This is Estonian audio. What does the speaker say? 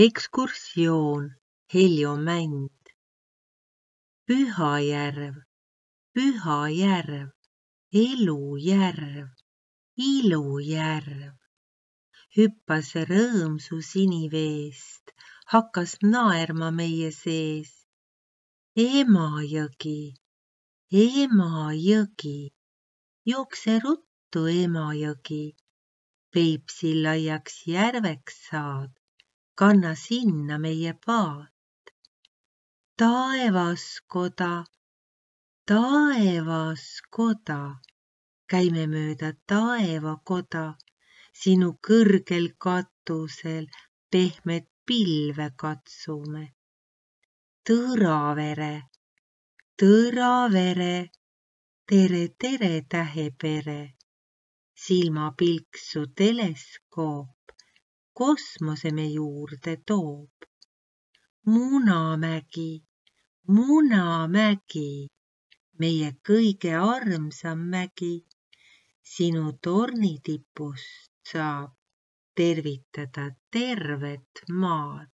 Ekskursioon Heljomänd. Pühajärv, Pühajärv, elujärv, ilujärv. Hüppas rõõmsu siniveest, hakkas naerma meie sees. Emajõgi, Emajõgi, jookse ruttu, Emajõgi. Peipsi laiaks järveks saad, kanna sinna meie paat. Taevaskoda, taevaskoda, käime mööda taevakoda, sinu kõrgel katusel pehmet pilve katsume. Tõravere, Tõravere, tere, tere, tähepere. Silmapilksu teleskoop kosmose me juurde toob. Munamägi, Munamägi, meie kõige armsam mägi. Sinu tornitipust saab tervitada tervet maad.